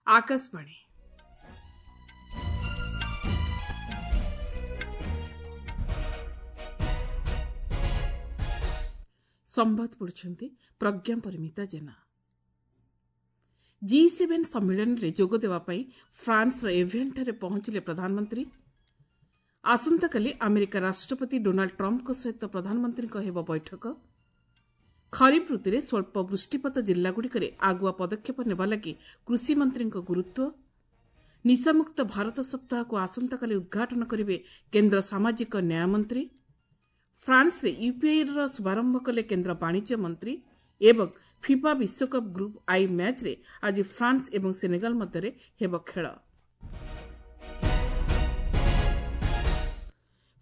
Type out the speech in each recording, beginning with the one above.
ଆକାଶବାଣୀ। ସମ୍ବାଦ ପଢୁଛନ୍ତି Pragya Parimita Jena. G seven ସମ୍ମିଳନୀରେ ଯୋଗଦେବା ପାଇଁ ଫ୍ରାନ୍ସର ଏଭିଆନ୍ଠାରେ ପହଞ୍ଚିଲେ ପ୍ରଧାନମନ୍ତ୍ରୀ। ଆସନ୍ତାକାଲି ଆମେରିକା ରାଷ୍ଟ୍ରପତି ଡୋନାଲ୍ଡ ଟ୍ରମ୍ପଙ୍କ ସହିତ ପ୍ରଧାନମନ୍ତ୍ରୀଙ୍କ ହେବ ବୈଠକ। ଖରିଫ ଋତୁରେ ସ୍ୱଳ୍ପ ବୃଷ୍ଟିପାତ ଜିଲ୍ଲାଗୁଡ଼ିକରେ ଆଗୁଆ ପଦକ୍ଷେପ ନେବା ଲାଗି କୃଷିମନ୍ତ୍ରୀଙ୍କ ଗୁରୁତ୍ୱ। ନିଶାମୁକ୍ତ ଭାରତ ସପ୍ତାହକୁ ଆସନ୍ତାକାଲି ଉଦ୍ଘାଟନ କରିବେ କେନ୍ଦ୍ର ସାମାଜିକ ନ୍ୟାୟ ମନ୍ତ୍ରୀ। ଫ୍ରାନ୍ସରେ ୟୁପିଆଇର ଶୁଭାରମ୍ଭ କଲେ କେନ୍ଦ୍ର ବାଣିଜ୍ୟ ମନ୍ତ୍ରୀ ଏବଂ ଫିଫା ବିଶ୍ୱକପ୍ ଗ୍ରୁପ୍ I ମ୍ୟାଚ୍ରେ ଆଜି ଫ୍ରାନ୍ସ ଏବଂ ସେନେଗାଲ ମଧ୍ୟରେ ହେବ ଖେଳ।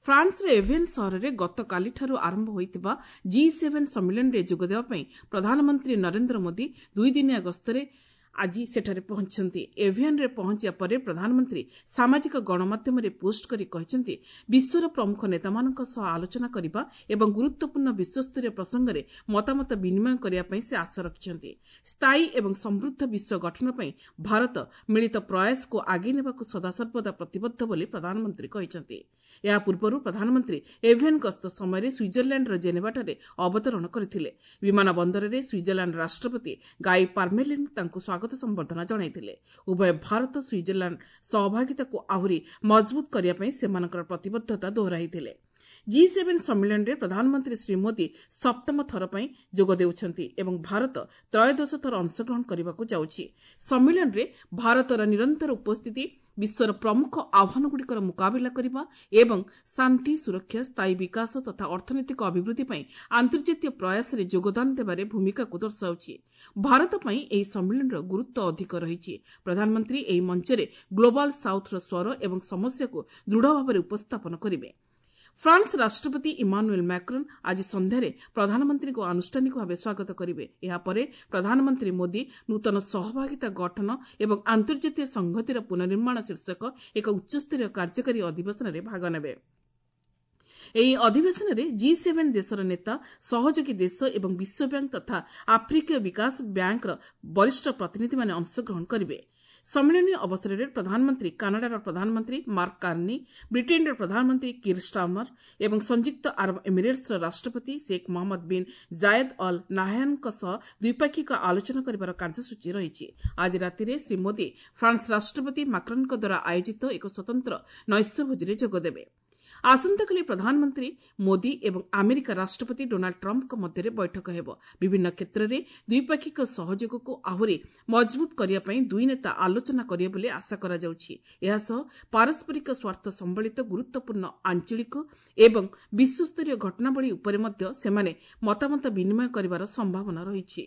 ଫ୍ରାନ୍ସର ଏଭିଏନ୍ ସହରରେ ଗତକାଲିଠାରୁ ଆରମ୍ଭ ହୋଇଥିବା ଜି ସେଭେନ୍ ସମ୍ମିଳନୀରେ ଯୋଗଦେବା ପାଇଁ ପ୍ରଧାନମନ୍ତ୍ରୀ ନରେନ୍ଦ୍ର ମୋଦି ଦୁଇଦିନିଆ ଗସ୍ତରେ ଆଜି ସେଠାରେ ପହଞ୍ଚିଛନ୍ତି। ଏଭିଆନ୍ରେ ପହଞ୍ଚିବା ପରେ ପ୍ରଧାନମନ୍ତ୍ରୀ ସାମାଜିକ ଗଣମାଧ୍ୟମରେ ପୋଷ୍ଟ କରି କହିଛନ୍ତି, ବିଶ୍ୱର ପ୍ରମୁଖ ନେତାମାନଙ୍କ ସହ ଆଲୋଚନା କରିବା ଏବଂ ଗୁରୁତ୍ୱପୂର୍ଣ୍ଣ ବିଶ୍ୱସ୍ତରୀୟ ପ୍ରସଙ୍ଗରେ ମତାମତ ବିନିମୟ କରିବା ପାଇଁ ସେ ଆଶା ରଖିଛନ୍ତି। ସ୍ଥାୟୀ ଏବଂ ସମୃଦ୍ଧ ବିଶ୍ୱ ଗଠନ ପାଇଁ ଭାରତ ମିଳିତ ପ୍ରୟାସକୁ ଆଗେଇ ନେବାକୁ ସଦାସର୍ବଦା ପ୍ରତିବଦ୍ଧ ବୋଲି ପ୍ରଧାନମନ୍ତ୍ରୀ କହିଛନ୍ତି। ଏହା ପୂର୍ବରୁ ପ୍ରଧାନମନ୍ତ୍ରୀ ଏଭିଆନ୍ ଗସ୍ତ ସମୟରେ ସୁଇଜରଲ୍ୟାଣ୍ଡର ଜେନେଭାଠାରେ ଅବତରଣ କରିଥିଲେ। ବିମାନ ବନ୍ଦରରେ ସୁଇଜରଲ୍ୟାଣ୍ଡ ରାଷ୍ଟ୍ରପତି ଗାଇ ପାର୍ମେଲିନ୍ ତାଙ୍କୁ ସ୍ୱାଗତ ସମ୍ବର୍ଦ୍ଧନା ଜଣାଇଥିଲେ। ଉଭୟ ଭାରତ ସୁଇଜରଲ୍ୟାଣ୍ଡ ସହଭାଗିତାକୁ ଆହୁରି ମଜବୁତ କରିବା ପାଇଁ ସେମାନଙ୍କର ପ୍ରତିବଦ୍ଧତା ଦୋହରାଇଥିଲେ। ଜି ସେଭେନ୍ ସମ୍ମିଳନୀରେ ପ୍ରଧାନମନ୍ତ୍ରୀ ଶ୍ରୀ ମୋଦି ସପ୍ତମ ଥର ପାଇଁ ଯୋଗ ଦେଉଛନ୍ତି ଏବଂ ଭାରତ ତ୍ରୟୋଦଶ ଥର ଅଂଶଗ୍ରହଣ କରିବାକୁ ଯାଉଛି। ସମ୍ମିଳନୀରେ ଭାରତର ନିରନ୍ତର ଉପସ୍ଥିତି ବିଶ୍ୱର ପ୍ରମୁଖ ଆହ୍ୱାନଗୁଡ଼ିକର ମୁକାବିଲା କରିବା ଏବଂ ଶାନ୍ତି, ସୁରକ୍ଷା, ସ୍ଥାୟୀ ବିକାଶ ତଥା ଅର୍ଥନୈତିକ ଅଭିବୃଦ୍ଧି ପାଇଁ ଆନ୍ତର୍ଜାତୀୟ ପ୍ରୟାସରେ ଯୋଗଦାନ ଦେବାରେ ଭୂମିକାକୁ ଦର୍ଶାଉଛି। ଭାରତ ପାଇଁ ଏହି ସମ୍ମିଳନୀର ଗୁରୁତ୍ୱ ଅଧିକ ରହିଛି। ପ୍ରଧାନମନ୍ତ୍ରୀ ଏହି ମଞ୍ଚରେ ଗ୍ଲୋବାଲ ସାଉଥ୍ର ସ୍ୱର ଏବଂ ସମସ୍ୟାକୁ ଦୃଢ଼ ଭାବରେ ଉପସ୍ଥାପନ କରିବେ। ଫ୍ରାନ୍ସ ରାଷ୍ଟ୍ରପତି ଇମାନୁଏଲ୍ ମାକ୍ରନ୍ ଆଜି ସନ୍ଧ୍ୟାରେ ପ୍ରଧାନମନ୍ତ୍ରୀଙ୍କୁ ଆନୁଷ୍ଠାନିକ ଭାବେ ସ୍ୱାଗତ କରିବେ। ଏହାପରେ ପ୍ରଧାନମନ୍ତ୍ରୀ ମୋଦି ନୂତନ ସହଭାଗିତା ଗଠନ ଏବଂ ଆନ୍ତର୍ଜାତୀୟ ସଂହତିର ପୁନଃନିର୍ମାଣ ଶୀର୍ଷକ ଏକ ଉଚ୍ଚସ୍ତରୀୟ କାର୍ଯ୍ୟକାରୀ ଅଧିବେଶନରେ ଭାଗ ନେବେ। ଏହି ଅଧିବେଶନରେ ଜି ସେଭେନ୍ ଦେଶର ନେତା, ସହଯୋଗୀ ଦେଶ ଏବଂ ବିଶ୍ୱ ବ୍ୟାଙ୍କ ତଥା ଆଫ୍ରିକୀୟ ବିକାଶ ବ୍ୟାଙ୍କର ବରିଷ୍ଠ ପ୍ରତିନିଧିମାନେ ଅଂଶଗ୍ରହଣ କରିବେ। ସମ୍ମିଳନୀ ଅବସରରେ ପ୍ରଧାନମନ୍ତ୍ରୀ କାନାଡାର ପ୍ରଧାନମନ୍ତ୍ରୀ ମାର୍କ କାର୍ନି, ବ୍ରିଟେନ୍ର ପ୍ରଧାନମନ୍ତ୍ରୀ କିର୍ ଷ୍ଟାର୍ମର ଏବଂ ସଂଯୁକ୍ତ ଆରବ ଏମିରେଟ୍ସର ରାଷ୍ଟ୍ରପତି Sheikh Mohammed bin Zayed Al ନାହ୍ୟାନ୍ଙ୍କ ସହ ଦ୍ୱିପାକ୍ଷିକ ଆଲୋଚନା କରିବାର କାର୍ଯ୍ୟସୂଚୀ ରହିଛି। ଆଜି ରାତିରେ ଶ୍ରୀ ମୋଦି ଫ୍ରାନ୍ସ ରାଷ୍ଟ୍ରପତି ମାକ୍ରନ୍ଙ୍କ ଦ୍ୱାରା ଆୟୋଜିତ ଏକ ସ୍ୱତନ୍ତ୍ର ନୈଶ୍ୟ ଭୋଜିରେ ଯୋଗଦେବେ। ଆସନ୍ତାକାଲି ପ୍ରଧାନମନ୍ତ୍ରୀ ମୋଦି ଏବଂ ଆମେରିକା ରାଷ୍ଟ୍ରପତି ଡୋନାଲ୍ଡ ଟ୍ରମ୍ପଙ୍କ ମଧ୍ୟରେ ବୈଠକ ହେବ। ବିଭିନ୍ନ କ୍ଷେତ୍ରରେ ଦ୍ୱିପାକ୍ଷିକ ସହଯୋଗକୁ ଆହୁରି ମଜବୁତ କରିବା ପାଇଁ ଦୁଇ ନେତା ଆଲୋଚନା କରିବେ ବୋଲି ଆଶା କରାଯାଉଛି। ଏହାସହ ପାରସ୍ପରିକ ସ୍ୱାର୍ଥ ସମ୍ବଳିତ ଗୁରୁତ୍ୱପୂର୍ଣ୍ଣ ଆଞ୍ଚଳିକ ଏବଂ ବିଶ୍ୱସ୍ତରୀୟ ଘଟଣାବଳୀ ଉପରେ ମଧ୍ୟ ସେମାନେ ମତାମତ ବିନିମୟ କରିବାର ସମ୍ଭାବନା ରହିଛି।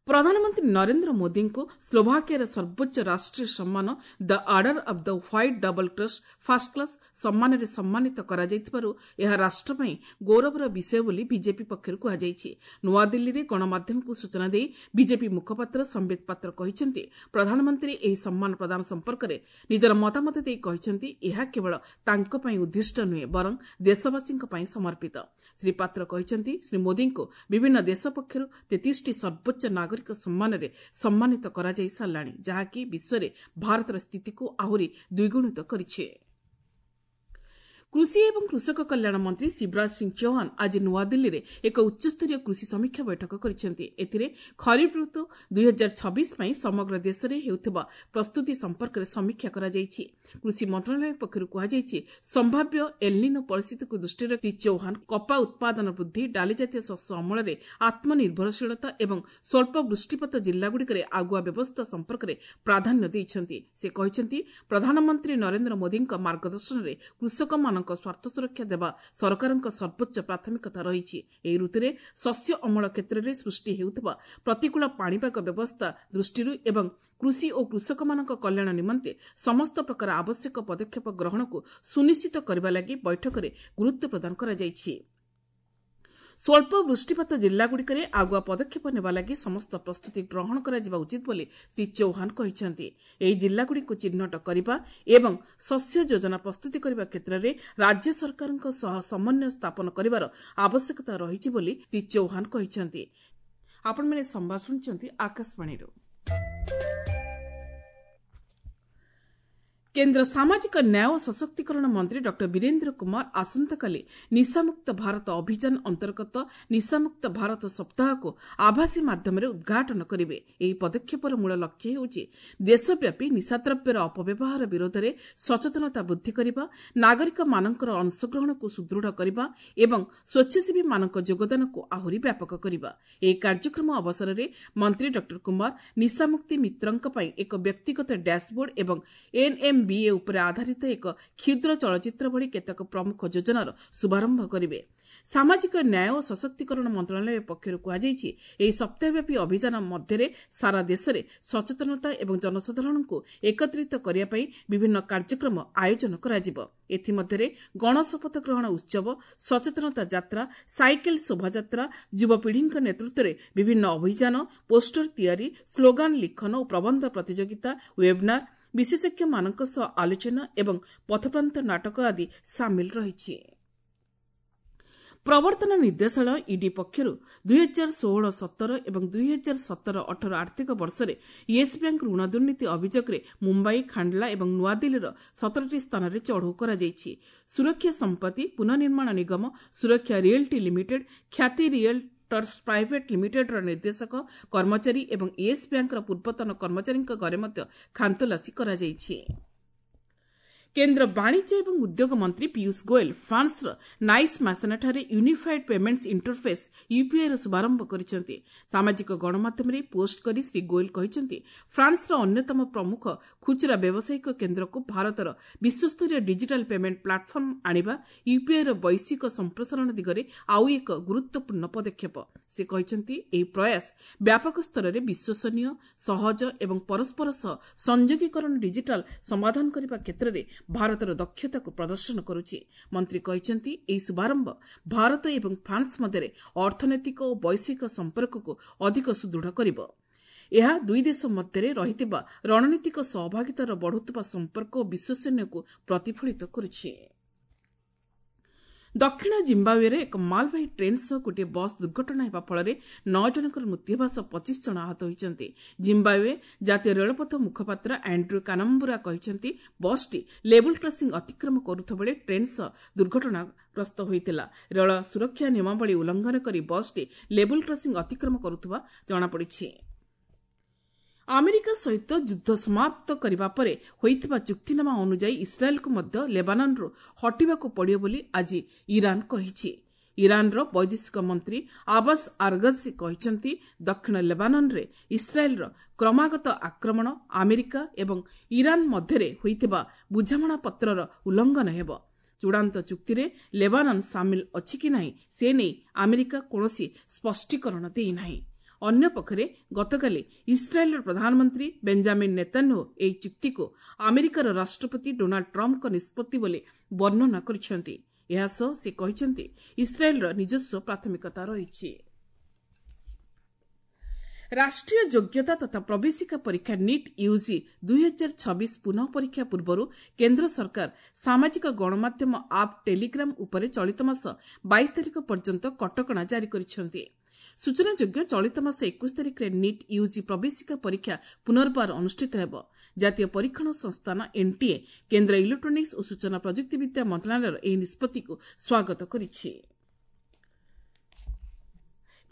ପ୍ରଧାନମନ୍ତ୍ରୀ ନରେନ୍ଦ୍ର ମୋଦିଙ୍କୁ ସ୍ଲୋଭାକିଆର ସର୍ବୋଚ୍ଚ ରାଷ୍ଟ୍ରୀୟ ସମ୍ମାନ the Order of the White Double Cross First Class ସମ୍ମାନରେ ସମ୍ମାନିତ କରାଯାଇଥିବାରୁ ଏହା ରାଷ୍ଟ୍ର ପାଇଁ ଗୌରବର ବିଷୟ ବୋଲି ବିଜେପି ପକ୍ଷରୁ କୁହାଯାଇଛି। ନୂଆଦିଲ୍ଲୀରେ ଗଣମାଧ୍ୟମକୁ ସୂଚନା ଦେଇ ବିଜେପି ମୁଖପାତ୍ର ସମ୍ବିତ ପାତ୍ର କହିଛନ୍ତି, ପ୍ରଧାନମନ୍ତ୍ରୀ ଏହି ସମ୍ମାନ ପ୍ରଦାନ ସମ୍ପର୍କରେ ନିଜର ମତାମତ ଦେଇ କହିଛନ୍ତି, ଏହା କେବଳ ତାଙ୍କ ପାଇଁ ଉଦ୍ଦିଷ୍ଟ ନୁହେଁ ବରଂ ଦେଶବାସୀଙ୍କ ପାଇଁ ସମର୍ପିତ। ଶ୍ରୀ ପାତ୍ର କହିଛନ୍ତି, ଶ୍ରୀ ମୋଦିଙ୍କୁ ବିଭିନ୍ନ ଦେଶ ପକ୍ଷରୁ 33ଟି ସର୍ବୋଚ୍ଚ ନାଗରିକ ସମ୍ମାନରେ ସମ୍ମାନିତ କରାଯାଇ ସାରିଲାଣି, ଯାହାକି ବିଶ୍ୱରେ ଭାରତର ସ୍ଥିତିକୁ ଆହୁରି ଦ୍ୱିଗୁଣିତ କରିଛି। କୃଷି ଏବଂ କୃଷକ କଲ୍ୟାଣ ମନ୍ତ୍ରୀ ଶିବରାଜ ସିଂ ଚୌହାନ ଆଜି ନୂଆଦିଲ୍ଲୀରେ ଏକ ଉଚ୍ଚସ୍ତରୀୟ କୃଷି ସମୀକ୍ଷା ବୈଠକ କରିଛନ୍ତି। ଏଥିରେ ଖରିଫ ଋତୁ 2026 ପାଇଁ ସମଗ୍ର ଦେଶରେ ହେଉଥିବା ପ୍ରସ୍ତୁତି ସମ୍ପର୍କରେ ସମୀକ୍ଷା କରାଯାଇଛି। କୃଷି ମନ୍ତ୍ରଣାଳୟ ପକ୍ଷରୁ କୁହାଯାଇଛି, ସମ୍ଭାବ୍ୟ ଏଲ୍ନିନୋ ପରିସ୍ଥିତିକୁ ଦୃଷ୍ଟିରେ ରଖି ଶ୍ରୀ ଚୌହାନ କପା ଉତ୍ପାଦନ ବୃଦ୍ଧି, ଡାଲିଜାତୀୟ ଶସ୍ୟ ଅମଳରେ ଆତ୍ମନିର୍ଭରଶୀଳତା ଏବଂ ସ୍ୱଳ୍ପ ବୃଷ୍ଟିପାତ ଜିଲ୍ଲାଗୁଡ଼ିକରେ ଆଗୁଆ ବ୍ୟବସ୍ଥା ସମ୍ପର୍କରେ ପ୍ରାଧାନ୍ୟ ଦେଇଛନ୍ତି। ସେ କହିଛନ୍ତି, ପ୍ରଧାନମନ୍ତ୍ରୀ ନରେନ୍ଦ୍ର ମୋଦିଙ୍କ ମାର୍ଗଦର୍ଶନରେ କୃଷକମାନଙ୍କ ସ୍ୱାର୍ଥ ସୁରକ୍ଷା ଦେବା ସରକାରଙ୍କ ସର୍ବୋଚ୍ଚ ପ୍ରାଥମିକତା ରହିଛି। ଏହି ଋତୁରେ ଶସ୍ୟ ଅମଳ କ୍ଷେତ୍ରରେ ସୃଷ୍ଟି ହେଉଥିବା ପ୍ରତିକୂଳ ପାଣିପାଗ ବ୍ୟବସ୍ଥା ଦୃଷ୍ଟିରୁ ଏବଂ କୃଷି ଓ କୃଷକମାନଙ୍କ କଲ୍ୟାଣ ନିମନ୍ତେ ସମସ୍ତ ପ୍ରକାର ଆବଶ୍ୟକ ପଦକ୍ଷେପ ଗ୍ରହଣକୁ ସୁନିଶ୍ଚିତ କରିବା ଲାଗି ବୈଠକରେ ଗୁରୁତ୍ୱ ପ୍ରଦାନ କରାଯାଇଛି। ସ୍ୱଳ୍ପ ବୃଷ୍ଟିପାତ ଜିଲ୍ଲାଗୁଡ଼ିକରେ ଆଗୁଆ ପଦକ୍ଷେପ ନେବା ଲାଗି ସମସ୍ତ ପ୍ରସ୍ତୁତି ଗ୍ରହଣ କରାଯିବା ଉଚିତ ବୋଲି ଶ୍ରୀ ଚୌହାନ କହିଛନ୍ତି। ଏହି ଜିଲ୍ଲାଗୁଡ଼ିକୁ ଚିହ୍ନଟ କରିବା ଏବଂ ଶସ୍ୟ ଯୋଜନା ପ୍ରସ୍ତୁତି କରିବା କ୍ଷେତ୍ରରେ ରାଜ୍ୟ ସରକାରଙ୍କ ସହ ସମନ୍ୱୟ ସ୍ଥାପନ କରିବାର ଆବଶ୍ୟକତା ରହିଛି ବୋଲି ଶ୍ରୀ ଚୌହାନ କହିଛନ୍ତି। ଆପଣମାନେ ସମ୍ବାଦ ଶୁଣୁଛନ୍ତି ଆକାଶବାଣୀରୁ। କେନ୍ଦ୍ର ସାମାଜିକ ନ୍ୟାୟ ଓ ସଶକ୍ତିକରଣ ମନ୍ତ୍ରୀ ଡକ୍ଟର ବୀରେନ୍ଦ୍ର କୁମାର ଆସନ୍ତାକାଲି ନିଶାମୁକ୍ତ ଭାରତ ଅଭିଯାନ ଅନ୍ତର୍ଗତ ନିଶାମୁକ୍ତ ଭାରତ ସପ୍ତାହକୁ ଆଭାସୀ ମାଧ୍ୟମରେ ଉଦ୍ଘାଟନ କରିବେ। ଏହି ପଦକ୍ଷେପର ମୂଳ ଲକ୍ଷ୍ୟ ହେଉଛି ଦେଶବ୍ୟାପୀ ନିଶାଦ୍ରବ୍ୟର ଅପବ୍ୟବହାର ବିରୋଧରେ ସଚେତନତା ବୃଦ୍ଧି କରିବା, ନାଗରିକମାନଙ୍କର ଅଂଶଗ୍ରହଣକୁ ସୁଦୃଢ଼ କରିବା ଏବଂ ସ୍ୱେଚ୍ଛାସେବୀମାନଙ୍କ ଯୋଗଦାନକୁ ଆହୁରି ବ୍ୟାପକ କରିବା। ଏହି କାର୍ଯ୍ୟକ୍ରମ ଅବସରରେ ମନ୍ତ୍ରୀ ଡକ୍ଟର କୁମାର ନିଶାମୁକ୍ତି ମିତ୍ରଙ୍କ ପାଇଁ ଏକ ବ୍ୟକ୍ତିଗତ ଡ୍ୟାସବୋର୍ଡ ଏବଂ ଏନ୍ଏମ୍ବିଏ ଉପରେ ଆଧାରିତ ଏକ କ୍ଷୁଦ୍ର ଚଳଚ୍ଚିତ୍ର ଭଳି କେତେକ ପ୍ରମୁଖ ଯୋଜନାର ଶୁଭାରମ୍ଭ କରିବେ। ସାମାଜିକ ନ୍ୟାୟ ଓ ସଶକ୍ତିକରଣ ମନ୍ତ୍ରଣାଳୟ ପକ୍ଷରୁ କୁହାଯାଇଛି, ଏହି ସପ୍ତାହବ୍ୟାପୀ ଅଭିଯାନ ମଧ୍ୟରେ ସାରା ଦେଶରେ ସଚେତନତା ଏବଂ ଜନସାଧାରଣଙ୍କୁ ଏକତ୍ରିତ କରିବା ପାଇଁ ବିଭିନ୍ନ କାର୍ଯ୍ୟକ୍ରମ ଆୟୋଜନ କରାଯିବ। ଏଥିମଧ୍ୟରେ ଗଣଶପଥ ଗ୍ରହଣ ଉତ୍ସବ, ସଚେତନତା ଯାତ୍ରା, ସାଇକେଲ ଶୋଭାଯାତ୍ରା, ଯୁବପିଢ଼ିଙ୍କ ନେତୃତ୍ୱରେ ବିଭିନ୍ନ ଅଭିଯାନ, ପୋଷ୍ଟର ତିଆରି, ସ୍ଲୋଗାନ ଲିଖନ ଓ ପ୍ରବନ୍ଧ ପ୍ରତିଯୋଗିତା, ୱେବନାର, ବିଶେଷଜ୍ଞମାନଙ୍କ ସହ ଆଲୋଚନା ଏବଂ ପଥପ୍ରାନ୍ତ ନାଟକ ଆଦି ସାମିଲ ରହିଛି। ପ୍ରବର୍ତ୍ତନ ନିର୍ଦ୍ଦେଶାଳୟ ଇଡି ପକ୍ଷରୁ 2016-17 ଏବଂ 2017-18 ଆର୍ଥିକ ବର୍ଷରେ ୟେସ୍ ବ୍ୟାଙ୍କ ଋଣ ଦୁର୍ନୀତି ଅଭିଯୋଗରେ ମୁମ୍ବାଇ, ଖାଣ୍ଡଲା ଏବଂ ନୂଆଦିଲ୍ଲୀର 17ଟି ସ୍ଥାନରେ ଚଢ଼ଉ କରାଯାଇଛି। ସୁରକ୍ଷା ସମ୍ପତ୍ତି ପୁନଃନିର୍ମାଣ ନିଗମ, ସୁରକ୍ଷା ରିଏଲ୍ଟି ଲିମିଟେଡ୍, ଖ୍ୟାତି ରିଏଲ୍ଟର୍ସ ପ୍ରାଇଭେଟ୍ ଲିମିଟେଡ୍ର ନିର୍ଦ୍ଦେଶକ, କର୍ମଚାରୀ ଏବଂ ୟେସ୍ ବ୍ୟାଙ୍କର ପୂର୍ବତନ କର୍ମଚାରୀଙ୍କ ଘରେ ମଧ୍ୟ ଖାନତଲାସୀ କରାଯାଇଛି। କେନ୍ଦ୍ର ବାଣିଜ୍ୟ ଏବଂ ଉଦ୍ୟୋଗ ମନ୍ତ୍ରୀ ପୀୟୁଷ ଗୋଏଲ ଫ୍ରାନ୍ସର ନାଇସ୍ ମାସେନାଠାରେ ୟୁନିଫାଏଡ୍ ପେମେଣ୍ଟସ୍ ଇଣ୍ଟରଫେସ୍ ୟୁପିଆଇର ଶୁଭାରମ୍ଭ କରିଛନ୍ତି। ସାମାଜିକ ଗଣମାଧ୍ୟମରେ ପୋଷ୍ଟ କରି ଶ୍ରୀ ଗୋଏଲ କହିଛନ୍ତି, ଫ୍ରାନ୍ସର ଅନ୍ୟତମ ପ୍ରମୁଖ ଖୁଚୁରା ବ୍ୟବସାୟିକ କେନ୍ଦ୍ରକୁ ଭାରତର ବିଶ୍ୱସ୍ତରୀୟ ଡିଜିଟାଲ ପେମେଣ୍ଟ ପ୍ଲାଟଫର୍ମ ଆଣିବା ୟୁପିଆଇର ବୈଶ୍ୱିକ ସମ୍ପ୍ରସାରଣ ଦିଗରେ ଆଉ ଏକ ଗୁରୁତ୍ୱପୂର୍ଣ୍ଣ ପଦକ୍ଷେପ। ସେ କହିଛନ୍ତି, ଏହି ପ୍ରୟାସ ବ୍ୟାପକ ସ୍ତରରେ ବିଶ୍ୱସନୀୟ, ସହଜ ଏବଂ ପରସ୍ପର ସହ ସଂଯୋଗୀକରଣ ଡିଜିଟାଲ ସମାଧାନ କରିବା କ୍ଷେତ୍ରରେ ଭାରତର ଦକ୍ଷତାକୁ ପ୍ରଦର୍ଶନ କରୁଛି। ମନ୍ତ୍ରୀ କହିଛନ୍ତି, ଏହି ଶୁଭାରମ୍ଭ ଭାରତ ଏବଂ ଫ୍ରାନ୍ସ ମଧ୍ୟରେ ଅର୍ଥନୈତିକ ଓ ବୈଶ୍ୱିକ ସମ୍ପର୍କକୁ ଅଧିକ ସୁଦୃଢ଼ କରିବ। ଏହା ଦୁଇ ଦେଶ ମଧ୍ୟରେ ରହିଥିବା ରଣନୀତିକ ସହଭାଗିତାର ବଢ଼ୁଥିବା ସମ୍ପର୍କ ଓ ବିଶ୍ୱସନୀୟକୁ ପ୍ରତିଫଳିତ କରୁଛି। ଦକ୍ଷିଣ ଜିମ୍ବାୱେରେ ଏକ ମାଲବାହୀ ଟ୍ରେନ୍ ସହ ଗୋଟିଏ ବସ୍ ଦୁର୍ଘଟଣା ହେବା ଫଳରେ 9 ଜଣଙ୍କର ମୃତ୍ୟୁ ହେବା ସହ 25 ଜଣ ଆହତ ହୋଇଛନ୍ତି। ଜିମ୍ବାୱେ ଜାତୀୟ ରେଳପଥ ମୁଖପାତ୍ର ଆଣ୍ଡ୍ର୍ୟୁ କାନମ୍ବୁରା କହିଛନ୍ତି, ବସ୍ଟି ଲେବୁଲ୍ କ୍ରସିଂ ଅତିକ୍ରମ କରୁଥିବା ବେଳେ ଟ୍ରେନ୍ ସହ ଦୁର୍ଘଟଣାଗ୍ରସ୍ତ ହୋଇଥିଲା। ରେଳ ସୁରକ୍ଷା ନିୟମାବଳୀ ଉଲ୍ଲଂଘନ କରି ବସ୍ଟି ଲେବୁଲ୍ କ୍ରସିଂ ଅତିକ୍ରମ କରୁଥିବା ଜଣାପଡ଼ିଛି। ଆମେରିକା ସହିତ ଯୁଦ୍ଧ ସମାପ୍ତ କରିବା ପରେ ହୋଇଥିବା ଚୁକ୍ତିନାମା ଅନୁଯାୟୀ ଇସ୍ରାଏଲକୁ ମଧ୍ୟ ଲେବାନନ୍ରୁ ହଟିବାକୁ ପଡ଼ିବ ବୋଲି ଆଜି ଇରାନ କହିଛି। ଇରାନର ବୈଦେଶିକ ମନ୍ତ୍ରୀ ଆବାସ ଆରଗସି କହିଛନ୍ତି, ଦକ୍ଷିଣ ଲେବାନନରେ ଇସ୍ରାଏଲର କ୍ରମାଗତ ଆକ୍ରମଣ ଆମେରିକା ଏବଂ ଇରାନ ମଧ୍ୟରେ ହୋଇଥିବା ବୁଝାମଣାପତ୍ରର ଉଲ୍ଲଂଘନ ହେବ। ଚୂଡ଼ାନ୍ତ ଚୁକ୍ତିରେ ଲେବାନନ୍ ସାମିଲ ଅଛି କି ନାହିଁ ସେ ନେଇ ଆମେରିକା କୌଣସି ସ୍ପଷ୍ଟୀକରଣ ଦେଇନାହିଁ। ଅନ୍ୟପକ୍ଷରେ ଗତକାଲି ଇସ୍ରାଏଲର ପ୍ରଧାନମନ୍ତ୍ରୀ ବେଞ୍ଜାମିନ୍ ନେତାନ୍ୟାହୁ ଏହି ଚୁକ୍ତିକୁ ଆମେରିକାର ରାଷ୍ଟ୍ରପତି ଡୋନାଲ୍ଡ ଟ୍ରମ୍ପଙ୍କ ନିଷ୍ପତ୍ତି ବୋଲି ବର୍ଣ୍ଣନା କରିଛନ୍ତି। ଏହାସହ ସେ କହିଛନ୍ତି, ଇସ୍ରାଏଲର ନିଜସ୍ୱ ପ୍ରାଥମିକତା ରହିଛି। ରାଷ୍ଟ୍ରୀୟ ଯୋଗ୍ୟତା ତଥା ପ୍ରବେଶିକା ପରୀକ୍ଷା ନିଟ୍ ୟୁଜି 2026 ପୁନଃ ପରୀକ୍ଷା ପୂର୍ବରୁ କେନ୍ଦ୍ର ସରକାର ସାମାଜିକ ଗଣମାଧ୍ୟମ ଆପ୍ ଟେଲିଗ୍ରାମ ଉପରେ ଚଳିତ ମାସ 22 ତାରିଖ ପର୍ଯ୍ୟନ୍ତ କଟକଣା ଜାରି କରିଛନ୍ତି। ସୂଚନାଯୋଗ୍ୟ, ଚଳିତ ମାସ 21 ତାରିଖରେ ନିଟ୍ ୟୁଜି ପ୍ରବେଶିକା ପରୀକ୍ଷା ପୁନର୍ବାର ଅନୁଷ୍ଠିତ ହେବ। ଜାତୀୟ ପରୀକ୍ଷଣ ସଂସ୍ଥାନ ଏନ୍ଟିଏ କେନ୍ଦ୍ର ଇଲେକ୍ଟ୍ରୋନିକ୍ସ ଓ ସୂଚନା ପ୍ରଯୁକ୍ତିବିଦ୍ୟା ମନ୍ତ୍ରଣାଳୟର ଏହି ନିଷ୍ପତ୍ତିକୁ ସ୍ୱାଗତ କରିଛି।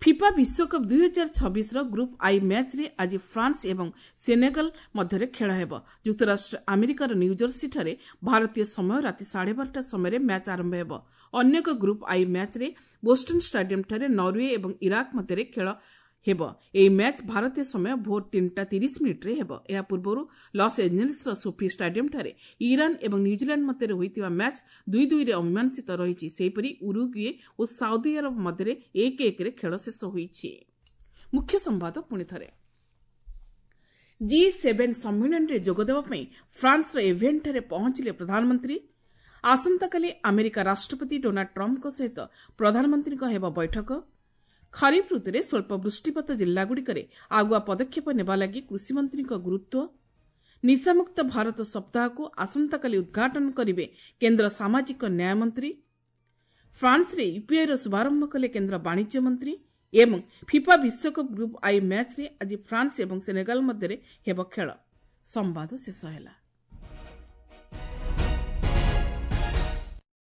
ଫିଫା ବିଶ୍ୱକପ୍ 2026ର ଗ୍ରୁପ୍ I ମ୍ୟାଚ୍ରେ ଆଜି ଫ୍ରାନ୍ସ ଏବଂ ସେନେଗାଲ ମଧ୍ୟରେ ଖେଳ ହେବ। ଯୁକ୍ତରାଷ୍ଟ୍ର ଆମେରିକାର ନ୍ୟୁଜର୍ସିଠାରେ ଭାରତୀୟ ସମୟ ରାତି 12:30 ସମୟରେ ମ୍ୟାଚ୍ ଆରମ୍ଭ ହେବ। ଅନ୍ୟ ଏକ ଗ୍ରୁପ୍ I ମ୍ୟାଚ୍ରେ ବୋଷ୍ଟନ୍ ଷ୍ଟାଡିୟମ୍ଠାରେ ନରୱେ ଏବଂ ଇରାକ ମଧ୍ୟରେ ଖେଳ ହେବ। ଏହି ମ୍ୟାଚ୍ ଭାରତୀୟ ସମୟ ଭୋର 3:30 ହେବ। ଏହା ପୂର୍ବରୁ ଲସ୍ ଏଞ୍ଜେଲ୍ସର ସୋଫି ଷ୍ଟାଡିୟମ୍ଠାରେ ଇରାନ ଏବଂ ନ୍ୟୁଜିଲାଣ୍ଡ ମଧ୍ୟରେ ହୋଇଥିବା ମ୍ୟାଚ୍ 2-2ରେ ଅମୀମାଂସିତ ରହିଛି। ସେହିପରି ଉରୁଗୁଏ ଓ ସାଉଦି ଆରବ ମଧ୍ୟରେ 1-1ରେ ଖେଳ ଶେଷ ହୋଇଛି। ମୁଖ୍ୟ ସମ୍ବାଦ ପୁଣିଥରେ। ଜି7 ସମ୍ମିଳନୀରେ ଯୋଗଦେବା ପାଇଁ ଫ୍ରାନ୍ସର ଏଭିଏନ୍ଠାରେ ପହଞ୍ଚିଲେ ପ୍ରଧାନମନ୍ତ୍ରୀ। ଆସନ୍ତାକାଲି ଆମେରିକା ରାଷ୍ଟ୍ରପତି ଡୋନାଲ୍ଡ ଟ୍ରମ୍ପଙ୍କ ସହିତ ପ୍ରଧାନମନ୍ତ୍ରୀଙ୍କ ହେବ ବୈଠକ। ଖରିଫ ଋତୁରେ ସ୍ୱଳ୍ପ ବୃଷ୍ଟିପାତ ଜିଲ୍ଲାଗୁଡ଼ିକରେ ଆଗୁଆ ପଦକ୍ଷେପ ନେବା ଲାଗି କୃଷିମନ୍ତ୍ରୀଙ୍କ ଗୁରୁତ୍ୱ। ନିଶାମୁକ୍ତ ଭାରତ ସପ୍ତାହକୁ ଆସନ୍ତାକାଲି ଉଦ୍ଘାଟନ କରିବେ କେନ୍ଦ୍ର ସାମାଜିକ ନ୍ୟାୟ ମନ୍ତ୍ରୀ। ଫ୍ରାନ୍ସରେ ୟୁପିଆଇର ଶୁଭାରମ୍ଭ କଲେ କେନ୍ଦ୍ର ବାଣିଜ୍ୟ ମନ୍ତ୍ରୀ ଏବଂ ଫିଫା ବିଶ୍ୱକପ୍ ଗ୍ରୁପ୍ I ମ୍ୟାଚ୍ରେ ଆଜି ଫ୍ରାନ୍ସ ଏବଂ ସେନେଗାଲ ମଧ୍ୟରେ ହେବ ଖେଳ। ସମ୍ବାଦ ଶେଷ ହେଲା।